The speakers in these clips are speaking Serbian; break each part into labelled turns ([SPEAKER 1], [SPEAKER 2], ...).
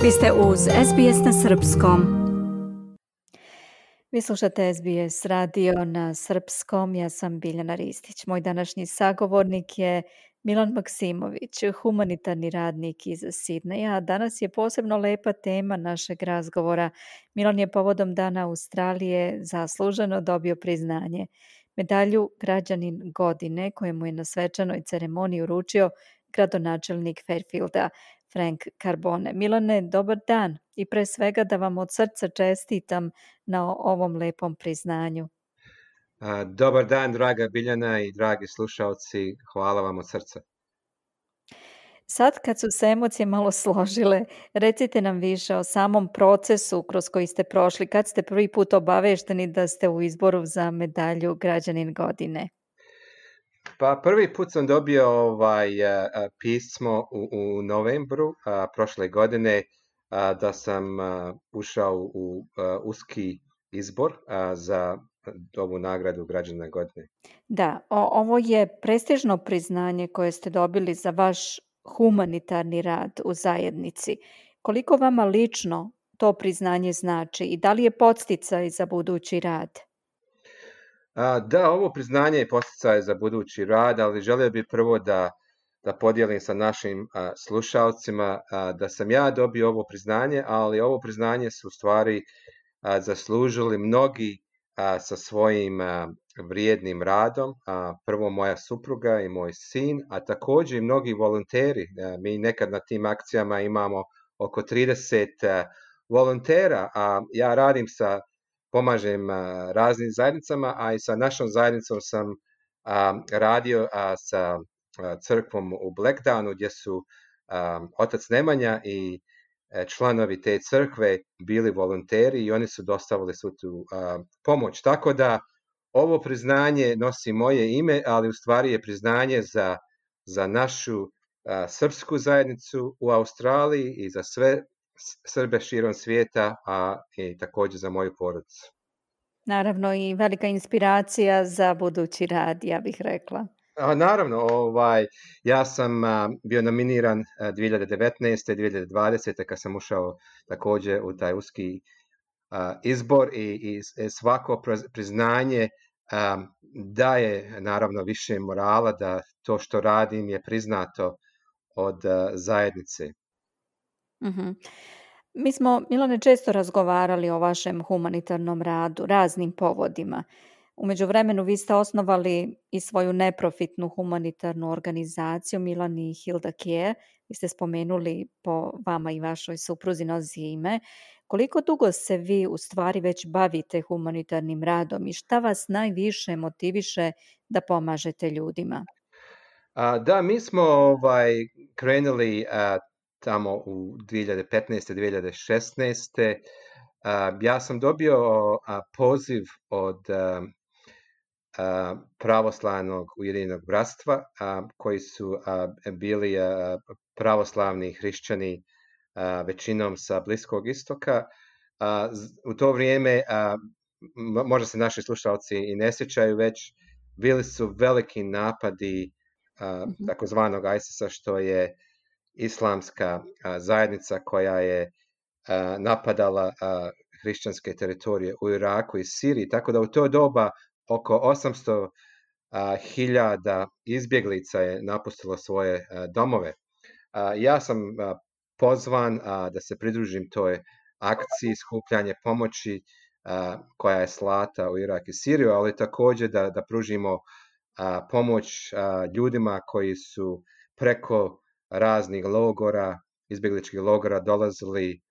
[SPEAKER 1] Vi ste uz SBS na srpskom. Vi slušate SBS radio na srpskom, ja sam Biljana Ristić. Moj današnji sagovornik je Milan Maksimović, humanitarni radnik iz Sidneja. Danas je posebno lepa tema našeg razgovora. Milan je povodom Dana Australije zasluženo dobio priznanje. Medalju Građanin godine koju mu je na svečanoj ceremoniji uručio gradonačelnik Fairfielda Frank Carbone. Milane, dobar dan i pre svega da vam od srca čestitam na ovom lepom priznanju.
[SPEAKER 2] Dobar dan, draga Biljana i dragi slušalci, hvala vam od srca.
[SPEAKER 1] Sad kad su se emocije malo složile, recite nam više o samom procesu kroz koji ste prošli, kad ste prvi put obavešteni da ste u izboru za medalju Građanin godine.
[SPEAKER 2] Pa prvi put sam dobio pismo u novembru prošle godine da sam ušao u uski izbor za ovu nagradu Građana godine.
[SPEAKER 1] Da, ovo je prestižno priznanje koje ste dobili za vaš humanitarni rad u zajednici. Koliko vama lično to priznanje znači i da li je podsticaj za budući rad?
[SPEAKER 2] Da, ovo priznanje je podsticaj za budući rad, ali želio bih prvo da podijelim sa našim slušalcima da sam ja dobio ovo priznanje, ali ovo priznanje su u stvari zaslužili mnogi sa svojim vrijednim radom. Prvo moja supruga i moj sin, a također i mnogi volonteri. Mi nekad na tim akcijama imamo oko 30 volontera, a ja pomažem raznim zajednicama, a i sa našom zajednicom sam radio sa crkvom u Blackdownu gdje su otac Nemanja i članovi te crkve bili volonteri i oni su dostavili svu tu pomoć. Tako da ovo priznanje nosi moje ime, ali u stvari je priznanje za našu srpsku zajednicu u Australiji i za sve Srbe širom svijeta, a i također za moju porodicu.
[SPEAKER 1] Naravno i velika inspiracija za budući rad, ja bih rekla.
[SPEAKER 2] Naravno, ja sam bio nominiran 2019. 2020. kad sam ušao također u taj uski izbor i svako priznanje daje naravno više morala da to što radim je priznato od zajednice.
[SPEAKER 1] Mhm. Mi smo, Milane, često razgovarali o vašem humanitarnom radu, raznim povodima. U međuvremenu vi ste osnovali i svoju neprofitnu humanitarnu organizaciju Milan i Hilda Care. Vi ste spomenuli po vama i vašoj supruzi nosi ime. Koliko dugo se vi u stvari već bavite humanitarnim radom i šta vas najviše motiviše da pomažete ljudima?
[SPEAKER 2] Da, mi smo krenuli tamo u 2015. 2016. Ja sam dobio poziv od pravoslavnog Ujedinjenog bratstva koji su bili pravoslavni hrišćani većinom sa Bliskog istoka. U to vrijeme, možda se naši slušalci i ne sjećaju već, bili su veliki napadi takozvanog ISIS-a, što je islamska zajednica koja je napadala hrišćanske teritorije u Iraku i Siriji, tako da u to doba oko 800.000 izbjeglica je napustilo svoje domove. Ja sam pozvan da se pridružim toj akciji skupljanje pomoći koja je slata u Irak i Siriju, ali također da pružimo pomoć ljudima koji su preko raznih logora, izbjegličkih logora dolazili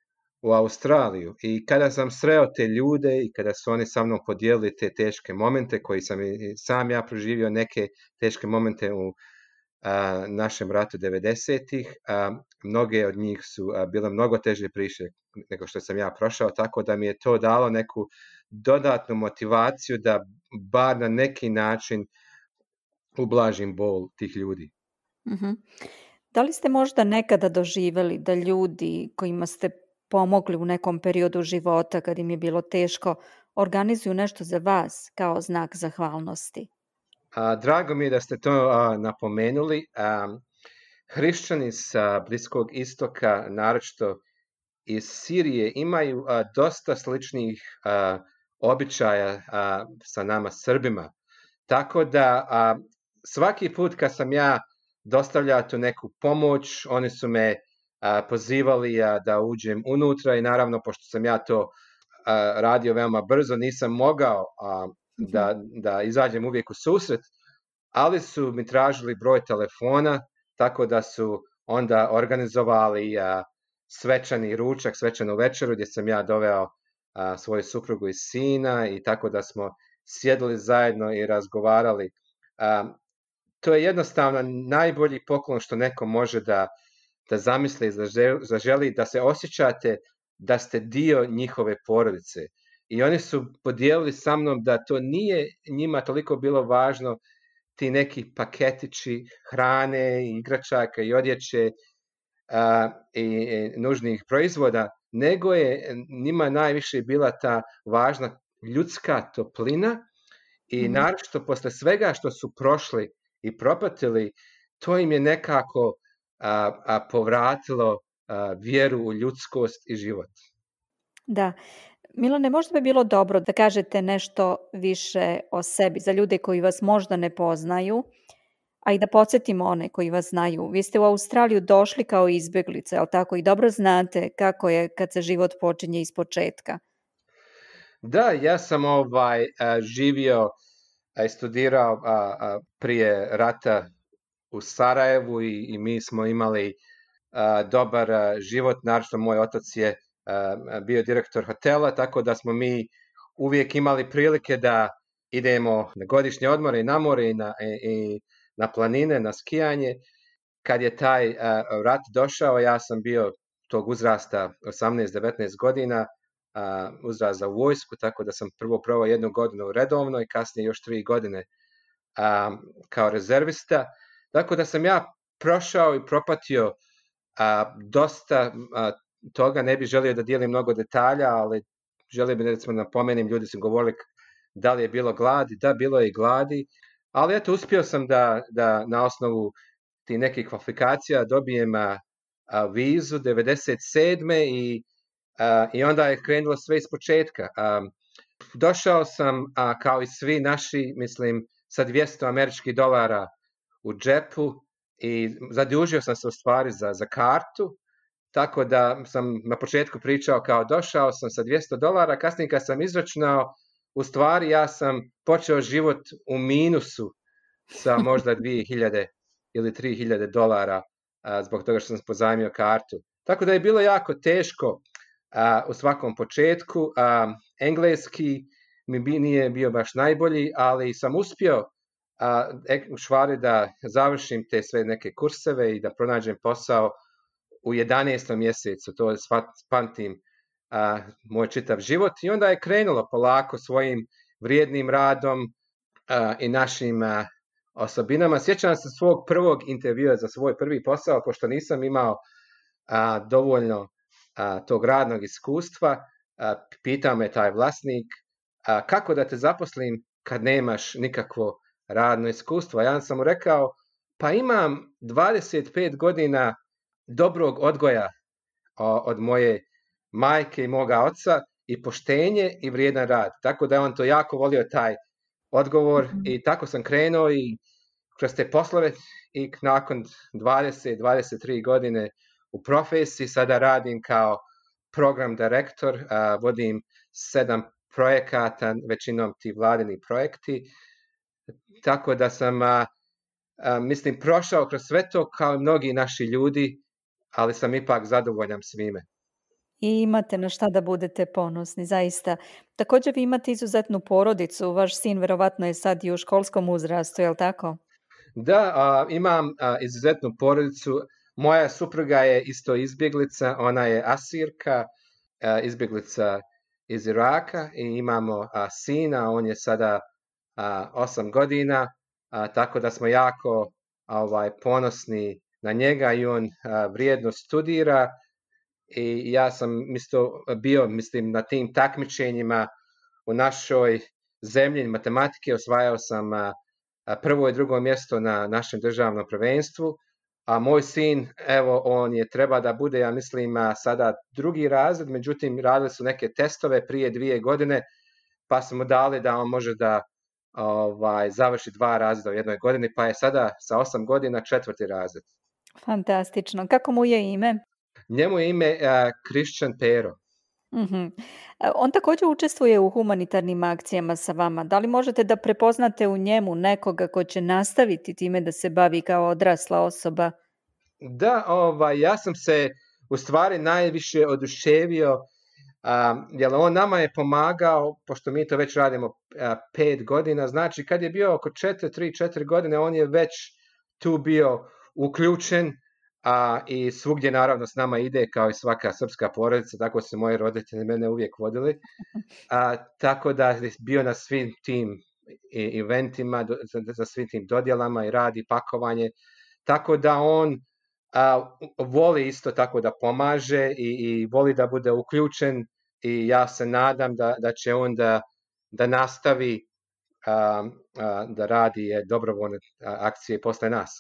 [SPEAKER 2] u Australiju. I kada sam sreo te ljude i kada su oni sa mnom podijelili te teške momente koji sam i sam ja proživio neke teške momente u našem ratu 90-ih, mnoge od njih su bile mnogo teže priče nego što sam ja prošao, tako da mi je to dalo neku dodatnu motivaciju da bar na neki način ublažim bol tih ljudi.
[SPEAKER 1] Mhm. Da li ste možda nekada doživjeli da ljudi kojima ste pomogli u nekom periodu života kad im je bilo teško organizuju nešto za vas kao znak zahvalnosti?
[SPEAKER 2] Drago mi je da ste to napomenuli. Hrišćani sa Bliskog istoka, naročito iz Sirije imaju dosta sličnih običaja sa nama Srbima. Tako da svaki put kad sam ja dostavljao tu neku pomoć, oni su me pozivali da uđem unutra i naravno, pošto sam ja to radio veoma brzo, nisam mogao da izađem uvijek u susret, ali su mi tražili broj telefona, tako da su onda organizovali svečani ručak, svečanu večeru gdje sam ja doveo svoju suprugu i sina i tako da smo sjedili zajedno i razgovarali. To je jednostavno najbolji poklon što neko može da zamisli, zaželi, da se osjećate da ste dio njihove porodice. I oni su podijelili sa mnom da to nije njima toliko bilo važno, ti neki paketići hrane, igračaka i odjeće i nužnih proizvoda, nego je njima najviše bila ta važna ljudska toplina i naročito posle svega što su prošli i propatili, to im je nekako povratilo vjeru u ljudskost i život.
[SPEAKER 1] Da. Milane, možda bi bilo dobro da kažete nešto više o sebi za ljude koji vas možda ne poznaju, a i da podsjetimo one koji vas znaju. Vi ste u Australiju došli kao izbjeglica, jel tako? I dobro znate kako je kad se život počinje iz početka.
[SPEAKER 2] Da, ja sam živio i studirao prije rata u Sarajevu i mi smo imali dobar život. Naravno, moj otac je bio direktor hotela, tako da smo mi uvijek imali prilike da idemo na godišnje odmore i na more i na planine, na skijanje. Kad je taj rat došao, ja sam bio tog uzrasta 18-19 godina, uzrast za vojsku, tako da sam prvo provao 1 godinu redovno i kasnije još 3 godine kao rezervista. Tako da sam ja prošao i propatio dosta toga, ne bih želio da dijelim mnogo detalja, ali želio bih recimo napomenem, ljudi su govorili da li je bilo gladi, da, bilo je i gladi, ali eto, uspio sam da na osnovu tih nekih kvalifikacija dobijem vizu 97. I onda je krenulo sve iz početka. Došao sam kao i svi naši, mislim, sa $200 u džepu i zadužio sam se u stvari za kartu, tako da sam na početku pričao kao došao sam sa $200, kasnije kad sam izračunao, u stvari ja sam počeo život u minusu sa možda 2000 ili $3000 zbog toga što sam pozajmio kartu. Tako da je bilo jako teško u svakom početku. Engleski mi nije bio baš najbolji, ali sam uspio u stvari da završim te sve neke kurseve i da pronađem posao u 11. mjesecu. To je pamtim moj čitav život i onda je krenulo polako svojim vrijednim radom i našim osobinama. Sjećam se svog prvog intervjua za svoj prvi posao, pošto nisam imao dovoljno tog radnog iskustva. Pitao me taj vlasnik kako da te zaposlim kad nemaš nikakvo radno iskustvo. Ja sam mu rekao, pa imam 25 godina dobrog odgoja od moje majke i moga oca i poštenje i vrijedan rad. Tako da je on to jako volio taj odgovor i tako sam krenuo i kroz te poslove i nakon 20-23 godine u profesiji sada radim kao program direktor, vodim 7 projekata, većinom ti vladini projekti, tako da sam mislim prošao kroz sve to kao i mnogi naši ljudi, ali sam ipak zadovoljan svime.
[SPEAKER 1] I imate na šta da budete ponosni, zaista. Također vi imate izuzetnu porodicu, vaš sin verovatno je sad i u školskom uzrastu, je li tako?
[SPEAKER 2] Da, imam izuzetnu porodicu. Moja supruga je isto izbjeglica, ona je Asirka, izbjeglica iz Iraka i imamo sina, on je sada 8 godina, tako da smo jako ponosni na njega i on vrijedno studira i ja sam bio na tim takmičenjima u našoj zemlji matematike, osvajao sam prvo i drugo mjesto na našem državnom prvenstvu, a moj sin, evo, on je treba da bude, ja mislim, sada 2. razred, međutim, radili su neke testove prije 2 godine, pa smo dali da on može da završi 2 razreda u jednoj godini, pa je sada sa 8 godina 4. razred.
[SPEAKER 1] Fantastično. Kako mu je ime?
[SPEAKER 2] Njemu je ime Christian Pero.
[SPEAKER 1] Mhm. On također učestvuje u humanitarnim akcijama sa vama. Da li možete da prepoznate u njemu nekoga ko će nastaviti time da se bavi kao odrasla osoba?
[SPEAKER 2] Da, ja sam se u stvari najviše oduševio, jer on nama je pomagao, pošto mi to već radimo 5 godina, znači kad je bio oko 3-4 godine, on je već tu bio uključen, i svugdje naravno s nama ide kao i svaka srpska porodica, tako su moji roditelji mene uvijek vodili, tako da je bio na svim tim eventima, za svim tim dodjelama i radi pakovanje, tako da on voli isto tako da pomaže i voli da bude uključen, i ja se nadam da će on da nastavi da radi dobrovoljne akcije posle nas.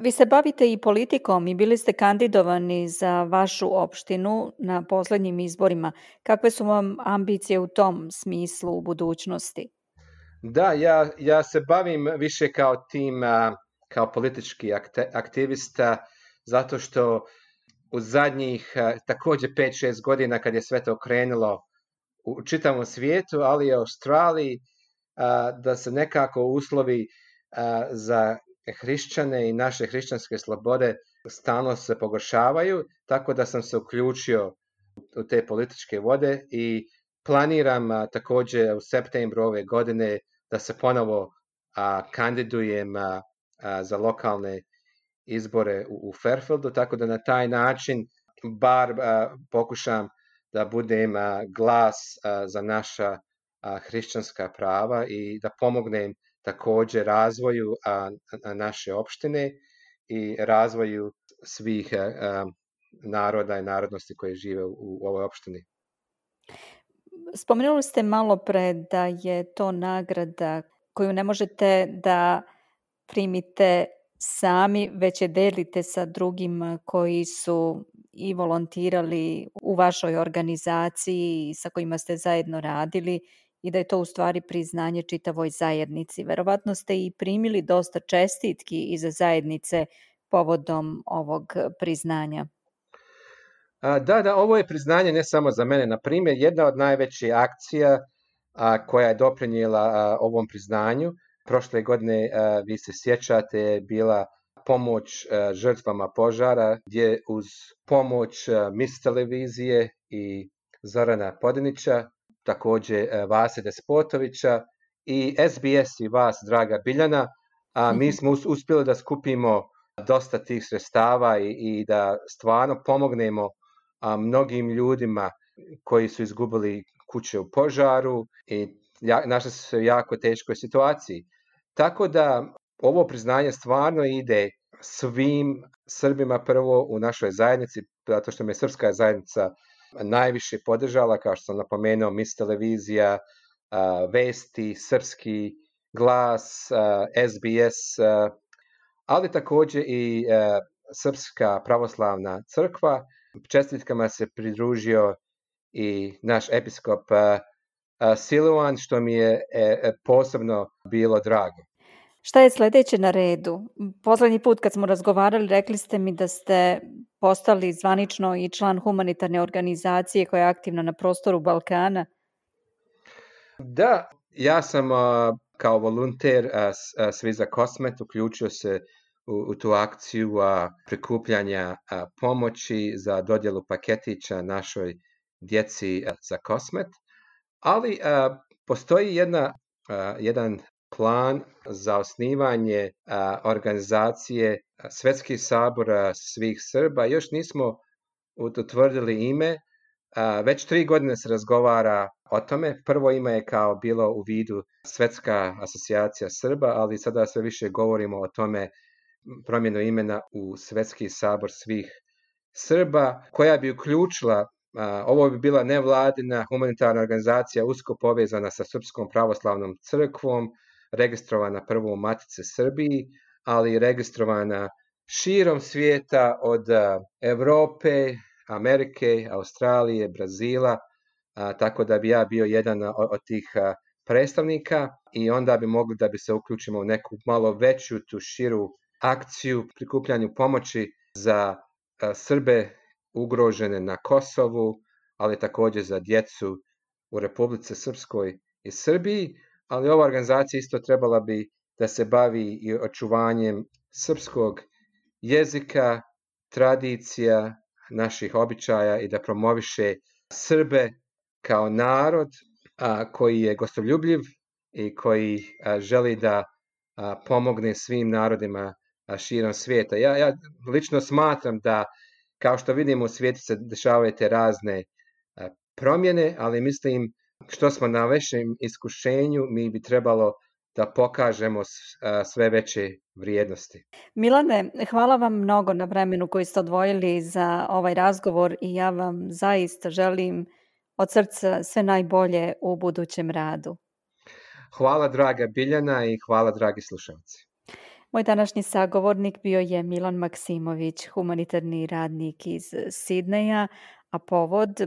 [SPEAKER 1] Vi se bavite i politikom i bili ste kandidovani za vašu opštinu na poslednjim izborima. Kakve su vam ambicije u tom smislu u budućnosti?
[SPEAKER 2] Da, ja se bavim više kao politički aktivista, zato što u zadnjih također 5-6 godina kad je sve to krenulo u čitavom svijetu, ali i u Australiji, da se nekako uslovi za hrišćane i naše hrišćanske slobode stalno se pogoršavaju, tako da sam se uključio u te političke vode i planiram također u septembru ove godine da se ponovo kandidujem za lokalne izbore u Fairfieldu, tako da na taj način bar pokušam da budem glas za naša hrišćanska prava i da pomognem također razvoju naše opštine i razvoju svih naroda i narodnosti koje žive u ovoj opštini.
[SPEAKER 1] Spomenuli ste malo pre da je to nagrada koju ne možete da primite sami, već je delite sa drugim koji su i volontirali u vašoj organizaciji sa kojima ste zajedno radili i da je to u stvari priznanje čitavoj zajednici. Verovatno ste i primili dosta čestitki iz zajednice povodom ovog priznanja.
[SPEAKER 2] Da, ovo je priznanje ne samo za mene. Na primjer, jedna od najvećih akcija koja je doprinijela ovom priznanju, prošle godine, vi se sjećate, je bila pomoć žrtvama požara, gdje uz pomoć Mis televizije i Zorana Podinića, također Vase Despotovića i SBS i vas, draga Biljana, mi smo uspjeli da skupimo dosta tih sredstava i da stvarno pomognemo mnogim ljudima koji su izgubili kuće u požaru i našli su se u jako teškoj situaciji. Tako da ovo priznanje stvarno ide svim Srbima prvo u našoj zajednici, zato što me srpska zajednica najviše podržala, kao što sam napomenuo, Mis televizija, Vesti, Srpski glas, SBS, ali također i Srpska pravoslavna crkva. Čestitkama se pridružio i naš episkop Siluan, što mi je posebno bilo drago.
[SPEAKER 1] Šta je sledeće na redu? Poslednji put kad smo razgovarali, rekli ste mi da ste postali zvanično i član humanitarne organizacije koja je aktivna na prostoru Balkana.
[SPEAKER 2] Da, ja sam kao volonter Svi za Kosmet uključio se u tu akciju prikupljanja pomoći za dodjelu paketića našoj djeci za Kosmet, ali postoji jedan plan za osnivanje organizacije Svetski sabor svih Srba. Još nismo utvrdili ime, već 3 godine se razgovara o tome. Prvo ime je kao bilo u vidu Svetska asocijacija Srba, ali sada sve više govorimo o tome promjenu imena u Svetski sabor svih Srba, koja bi uključila, ovo bi bila nevladina humanitarna organizacija usko povezana sa Srpskom pravoslavnom crkvom, registrovana prvo u Matici Srbiji, ali i registrovana širom svijeta od Europe, Amerike, Australije, Brazila, tako da bi ja bio jedan od tih predstavnika i onda bi mogli da bi se uključimo u neku malo veću, tu širu akciju prikupljanju pomoći za Srbe ugrožene na Kosovu, ali također za djecu u Republici Srpskoj i Srbiji, ali ova organizacija isto trebala bi da se bavi i očuvanjem srpskog jezika, tradicija, naših običaja i da promoviše Srbe kao narod koji je gostoljubljiv i koji želi da pomogne svim narodima širom svijeta. Ja lično smatram da, kao što vidimo u svijetu se dešavaju te razne promjene, ali mislim što smo na većem iskušenju, mi bi trebalo da pokažemo sve veće vrijednosti.
[SPEAKER 1] Milane, hvala vam mnogo na vremenu koji ste odvojili za ovaj razgovor i ja vam zaista želim od srca sve najbolje u budućem radu.
[SPEAKER 2] Hvala draga Biljana i hvala dragi slušalci.
[SPEAKER 1] Moj današnji sagovornik bio je Milan Maksimović, humanitarni radnik iz Sidneja, a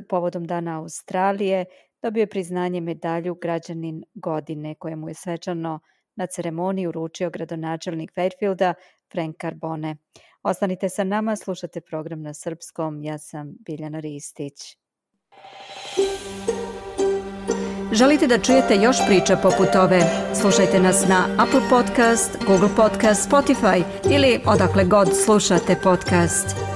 [SPEAKER 1] povodom Dana Australije dobio je priznanje medalju Građanin godine koje mu je svečano na ceremoniji uručio gradonačelnik Fairfielda Frank Carbone. Ostanite sa nama, slušate program na srpskom. Ja sam Biljana Ristić. Želite da čujete još priča poput ove? Slušajte nas na Apple Podcast, Google Podcast, Spotify ili odakle god slušate podcast.